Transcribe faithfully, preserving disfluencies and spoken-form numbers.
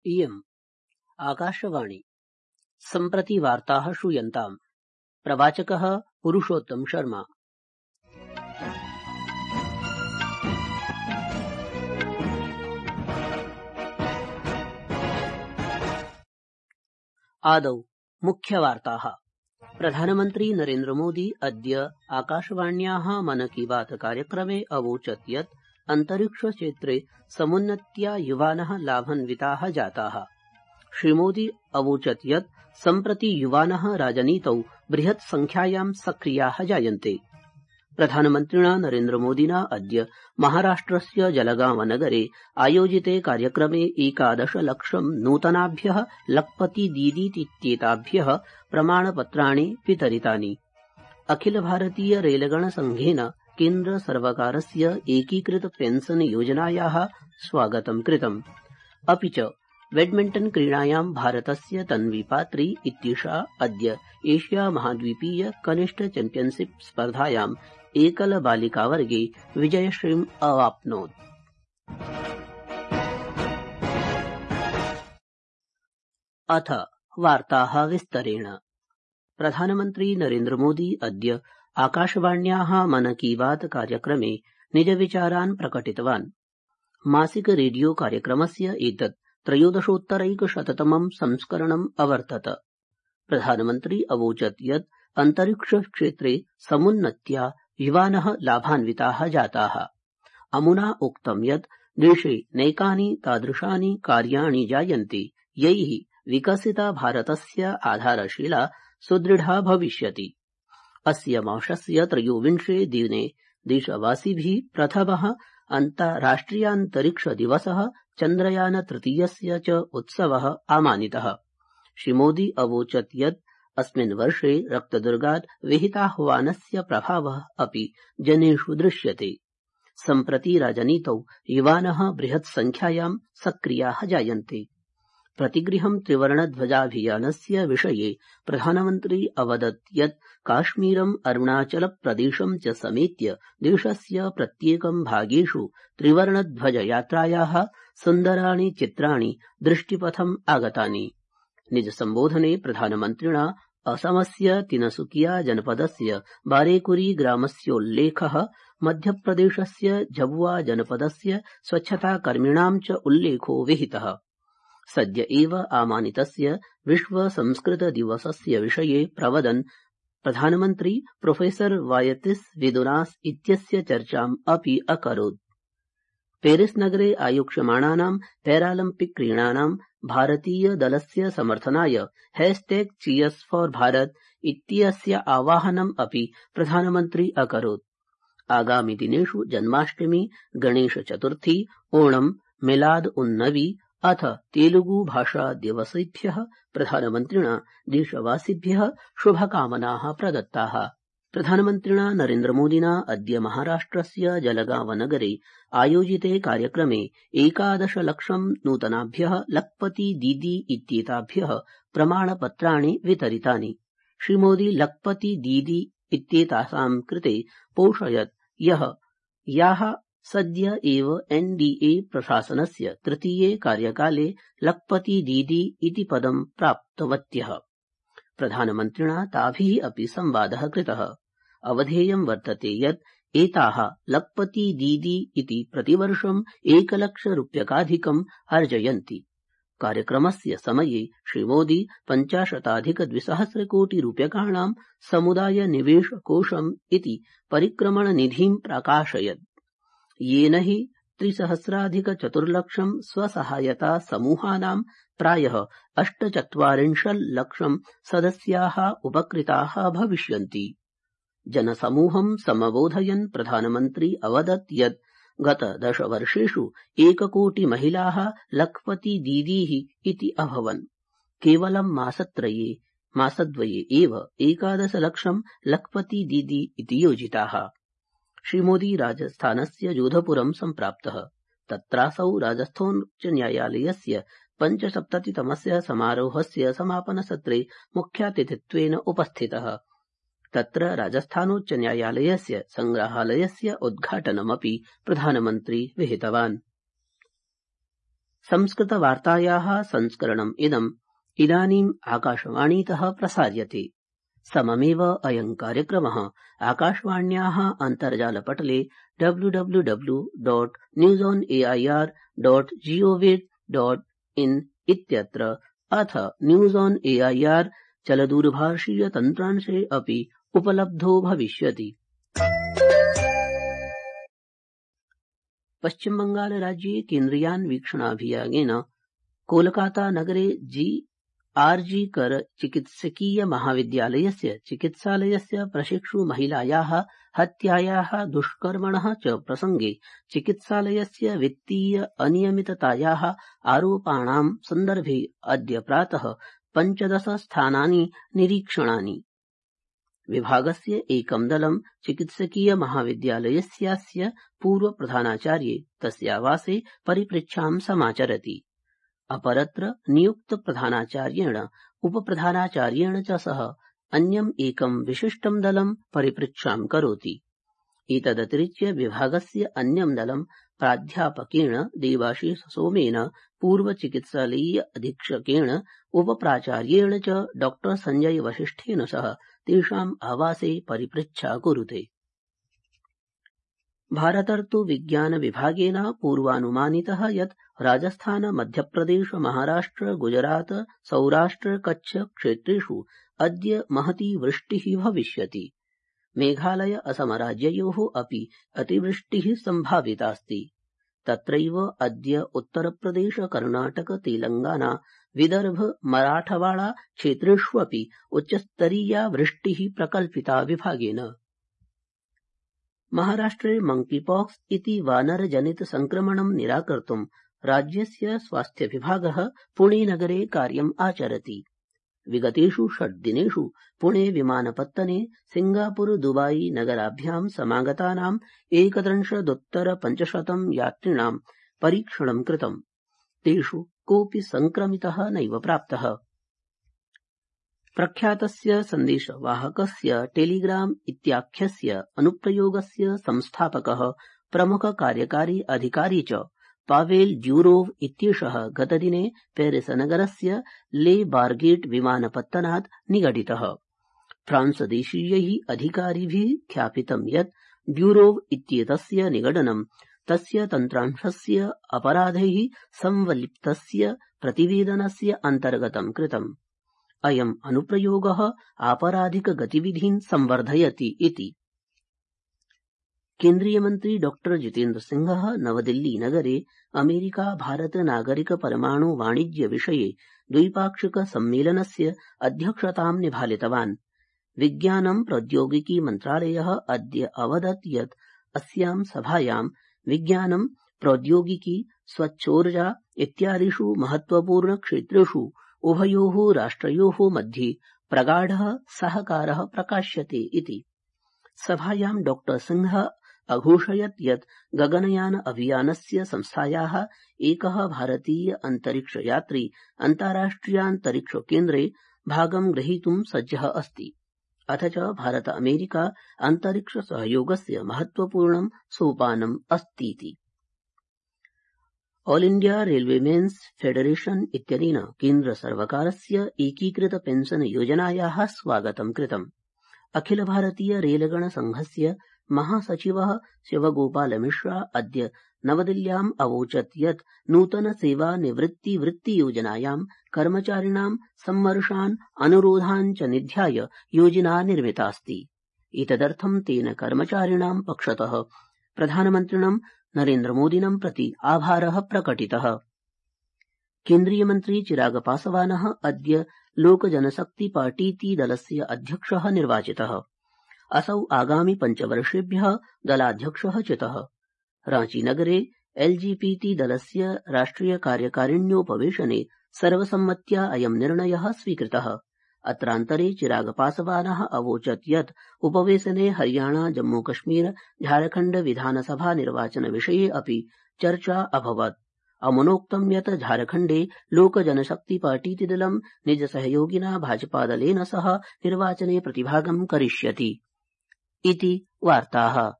इयम् आकाशवाणी। सम्प्रति वार्ताः श्रूयन्ताम्। प्रवाचकः पुरुषोत्तम शर्मा। आदौ मुख्यवार्ताः। प्रधानमन्त्री नरेन्द्र मोदी अद्य आकाशवाण्याः मन की बात कार्यक्रमे अवोचत् यत् अन्तरिक्षक्षेत्रे समुन्नत्या युवानः लाभान्विताः जाताः। श्रीमोदी अवोचत् यत् सम्प्रति युवानः राजनीतौ बृहत् संख्यायां सक्रियाः जायन्ते। प्रधानमन्त्रिणा नरेन्द्रमोदिना अद्य महाराष्ट्रस्य जलगांव नगरे आयोजिते कार्यक्रमे एकादश लक्षं नूतनाभ्यः लखपति दीदीतीत्येताभ्यः प्रमाणपत्राणि वितरितानि। अखिल भारतीय रेलगण संघेन केन्द्र सर्वकारस्य एकीकृत पेंशन योजनायाः स्वागतं कृतम्। अपि च बैडमिण्टन क्रीडायां भारतस्य तन्वी पात्री इत्येषा अद्य एशिया महाद्वीपीय कनिष्ठ चैम्पियनशिप स्पर्धायाम् एकल बालिकावर्गे विजयश्रीम् अवाप्नोत्। अथ वार्ताः विस्तरेण। प्रधानमन्त्री नरेन्द्र मोदी अद्य आकाशवाण्याः मन की बात कार्यक्रमे निजविचारान् प्रकटितवान्। मासिक रेडियो कार्यक्रमस्य एतत् त्रयोदशोत्तरैकशततमं संस्करणम् अवर्तत। प्रधानमन्त्री अवोचत् यत् अन्तरिक्षक्षेत्रे समुन्नत्या युवानः लाभान्विताः जाताः। अमुना उक्तं यत् देशे नैकानि तादृशानि कार्याणि जायन्ते यैः विकसिता भारतस्य आधारशिला सुदृढा भविष्यति। अस्य मासस्य त्रयोविंशे दिने देशवासिभिः प्रथमः अन्ताराष्ट्रियान्तरिक्ष दिवसः चन्द्रयान तृतीयस्य च उत्सवः आमानितः। श्रीमोदी अवोचत् यत् अस्मिन् वर्षे रक्तदुर्गात् विहिताह्वानस्य प्रभावः अपि जनेषु दृश्यते। सम्प्रति राजनीतौ युवानः बृहत् संख्यायां सक्रियाः जायन्ते। प्रतिगृहं त्रिवर्णध्वजाभियानस्य विषये प्रधानमन्त्री अवदत् यत् काश्मीरम् अरुणाचलप्रदेशं च समेत्य देशस्य प्रत्येकं भागेषु त्रिवर्णध्वजयात्रायाः सुन्दराणि चित्राणि दृष्टिपथम् आगतानि। निजसम्बोधने प्रधानमन्त्रिणा असमस्य तिनसुकिया जनपदस्य बारेकुरी ग्रामस्योल्लेखः, मध्यप्रदेशस्य झबुआ जनपदस्य स्वच्छताकर्मिणां च उल्लेखो विहितः। सद्य एव आमानितस्य विश्व संस्कृत दिवसस्य विषये प्रवदन् प्रधानमन्त्री प्रोफेसर वायतिस् विदुनास् इत्यस्य चर्चाम् अपि अकरोत्। पेरिस नगरे आयोक्ष्यमाणानां पैरालम्पिक क्रीडानां भारतीय दलस्य समर्थनाय हैशटैग चीयर्स फॉर भारत इत्यस्य आवाहनम् अपि प्रधानमन्त्री अकरोत्। आगामि दिनेषु जन्माष्टमी, गणेश चतुर्थी, ओणम्, मिलाद उन नबी अथ तेलुगु भाषा दिवसेभ्यः प्रधानमन्त्रिणा देशवासिभ्यः शुभकामनाः प्रदत्ताः। प्रधानमन्त्रिणा नरेन्द्रमोदिना अद्य महाराष्ट्रस्य जलगांव नगरे आयोजिते कार्यक्रमे एकादश लक्षं नूतनाभ्यः लखपति दीदी इत्येताभ्यः प्रमाणपत्राणि वितरितानि। श्रीमोदी लखपति दीदी इत्येतासां कृते पोषयत् यः याः सद्य एव एनडीए प्रशासनस्य तृतीये कार्यकाले लखपति दीदी इति पदं प्राप्तवत्यः। प्रधानमन्त्रिणा ताभिः अपि संवादः कृतः। अवधेयं वर्तते यत् एताः लखपति दीदी इति प्रतिवर्षम् एकलक्षरूप्यकाधिकम् अर्जयन्ति। कार्यक्रमस्य समये श्रीमोदी पञ्चाशताधिकद्विसहस्रकोटिरूप्यकाणां समुदाय निवेश कोषम् इति परिक्रमणनिधिं प्राकाशयत्। येन हि त्रिसहस्राधिकचतुर्लक्षं स्वसहायता समूहानां प्रायः अष्टचत्वारिंशल्लक्षं सदस्याः उपकृताः भविष्यन्ति। जनसमूहं समबोधयन् प्रधानमन्त्री अवदत् यत् गत दशवर्षेषु एककोटि महिलाः लखपति दीदीः इति अभवन्। केवलं मासत्रये मासद्वये एव एकादश लक्षं लखपति दीदी इति योजिताः। श्रीमोदी राजस्थानस्य जोधपुरं सम्प्राप्तः। तत्रासौ राजस्थानोच्चन्यायालयस्य पञ्चसप्ततितमस्य समारोहस्य समापनसत्रे मुख्यातिथित्वेन उपस्थितः। तत्र राजस्थानोच्चन्यायालयस्य संग्रहालयस्य उद्घाटनमपि प्रधानमन्त्री विहितवान्। संस्कृतवार्तायाः संस्करणम् इदम् इदानीम् आकाशवाणीतः प्रसार्यते। सममेव अयम् कार्यक्रमः आकाशवाण्याः अन्तर्जालपटले W W W dot news on A I R dot gov dot in इत्यत्र अथ news on A I R चलदूरभाषीय तन्त्रांशे अपि उपलब्धो भविष्यति। पश्चिमबंगालराज्ये केन्द्रीयान्वीक्षणाभियानेन कोलकाता नगरे जी आर् जी कर चिकित्सकीय महाविद्यालयस्य चिकित्सालयस्य प्रशिक्षु महिलायाः हत्यायाः दुष्कर्मणः च प्रसंगे चिकित्सालयस्य वित्तीय अनियमिततायाः आरोपाणां सन्दर्भे अद्य प्रातः पञ्चदश स्थानानि निरीक्षणानि। विभागस्य एकं दलं चिकित्सकीय महाविद्यालयस्यास्य पूर्वप्रधानाचार्ये तस्यावासे परिपृच्छां समाचरति। अपरत्र नियुक्त प्रधानाचार्येण उपप्रधानाचार्येण च सह अन्यम् एकं विशिष्टं दलं परिपृच्छां करोति। एतदतिरिच्य विभागस्य अन्यं दलं प्राध्यापकेण देवाशीष सोमेन, पूर्वचिकित्सालयीय अधीक्षकेण उपप्राचार्येण च डॉ संजय वसिष्ठेन सह तेषाम् आवासे परिपृच्छा कुरुते। भारतर्तु विज्ञान विभागेन पूर्वानुमानितः यत् राजस्थान मध्यप्रदेश महाराष्ट्र गुजरात सौराष्ट्र कच्छ क्षेत्रेषु अद्य महती वृष्टिः भविष्यति। मेघालय असम राज्ययोः अपि अतिवृष्टिः सम्भावितास्ति। तत्रैव अद्य उत्तरप्रदेश कर्णाटक तेलंगाना विदर्भ मराठवाड़ा क्षेत्रेष्वपि उच्चस्तरीया वृष्टिः प्रकल्पिता विभागेन। महाराष्ट्रे मंकीपॉक्स इति वानरजनित संक्रमणं निराकर्तुं राज्यस्य स्वास्थ्य विभागः पुणे नगरे कार्यम् आचरति। विगतेषु षड् दिनेषु पुणे विमानपत्तने सिंगापुर दुबाई नगराभ्यां समागतानां एकत्रिंशदुत्तर पञ्चशतं यात्रिणां परीक्षणं कृतम्। तेषु कोऽपि संक्रमितः नैव प्राप्तः। प्रख्यातस्य सन्देशवाहकस्य टेलीग्राम इत्याख्यस्य अनुप्रयोगस्य संस्थापकः प्रमुख कार्यकारी अधिकारी च पावेल ड्यूरोव इत्येषः गतदिने पेरिस नगरस्य ले बार्गेट विमानपत्तनात् निगडितः। फ्रांसदेशीयैः अधिकारिभिः ख्यापितं यत् ड्यूरोव इत्येतस्य निगडनं तस्य तन्त्रांशस्य अपराधैः संवलिप्तस्य प्रतिवेदनस्य अन्तर्गतं कृतम्। अयम् अनुप्रयोगः आपराधिक गतिविधीन् संवर्धयति इति। केन्द्रीयमन्त्री डॉ जितेन्द्र सिंहः नवदिल्ली नगरे अमेरिका भारत नागरिक परमाणु वाणिज्य विषये द्विपाक्षिक सम्मेलनस्य अध्यक्षतां निभालितवान्। विज्ञानं प्रौद्योगिकी मन्त्रालयः अद्य अवदत् यत् अस्यां सभायां विज्ञानं प्रौद्योगिकी स्वच्छोर्जा इत्यादिषु महत्वपूर्ण क्षेत्रेषु उभयोः राष्ट्रयोः मध्ये प्रगाढः सहकारः प्रकाश्यते इति। सभायां डॉ सिंहः अघोषयत् यत् गगनयान अभियानस्य संस्थायाः एकः भारतीय अन्तरिक्षयात्री अन्ताराष्ट्रियान्तरिक्ष केन्द्रे भागं ग्रहीतुं सज्जः अस्ति। अथ च भारत अमेरिका अन्तरिक्ष सहयोगस्य महत्वपूर्णं सोपानम् अस्तीति। ऑल इंडिया रेलवेमेन्स फेडरेशन इत्यनेन केन्द्र सर्वकारस्य एकीकृत पेंशन योजनायाः स्वागतं कृतम्। अखिल भारतीय रेलगण संघस्य महासचिवः शिवगोपाल मिश्रा अद्य नवदिल्ल्याम् अवोचत् यत् नूतन सेवा निवृत्ति वृत्ति योजनायां कर्मचारिणां सम्मर्शान् अनुरोधान् च निध्याय योजना निर्मितास्ति। एतदर्थं तेन कर्मचारिणां पक्षतः प्रधानमन्त्रिणं नरेन्द्रमोदिनं प्रति आभारः प्रकटितः। केन्द्रीयमन्त्री चिराग पासवानः अद्य लोकजनशक्ति पार्टीति दलस्य अध्यक्षः निर्वाचितः। असौ आगामि पञ्चवर्षेभ्यः दलाध्यक्षः चितः। रांचीनगरे एलजेपी दलस्य राष्ट्रिय कार्यकारिण्योपवेशने सर्वसम्मत्या अयं निर्णयः स्वीकृतः। अत्रान्तरे चिराग पासवानः अवोचत् यत् उपवेशने हरियाणा जम्मूकश्मीर झारखण्ड विधानसभा निर्वाचन विषये अपि चर्चा अभवत्। अमुनोक्तं यत् झारखण्डे लोकजनशक्ति पार्टीति दलं निजसहयोगिना भाजपादलेन सह निर्वाचने प्रतिभागं करिष्यति इति वार्ताः।